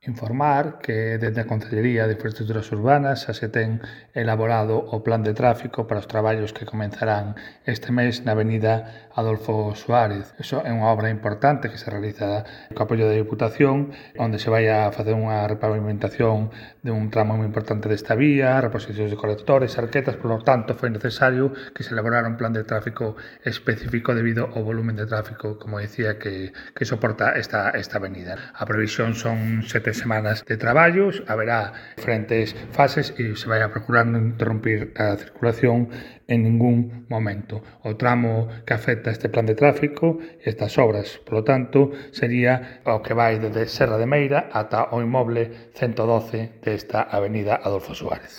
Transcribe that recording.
Informar que dende a Concellería de Infraestructuras Urbanas xa se ten elaborado o plan de tráfico para os traballos que comenzarán este mes na avenida Adolfo Suárez. Iso é unha obra importante que se realiza co apoio da Diputación, onde se vai a facer unha repavimentación de un tramo moi importante desta vía, reposicións de colectores, arquetas, polo tanto foi necesario que se elaborara un plan de tráfico específico debido ao volumen de tráfico, como decía, que soporta esta avenida. A previsión son 7 semanas de traballos, haberá diferentes fases e se vai a procurar non interrumpir a circulación en ningún momento. O tramo que afecta este plan de tráfico, estas obras, polo tanto, sería o que vai desde Serra de Meira ata o inmoble 112 desta avenida Adolfo Suárez.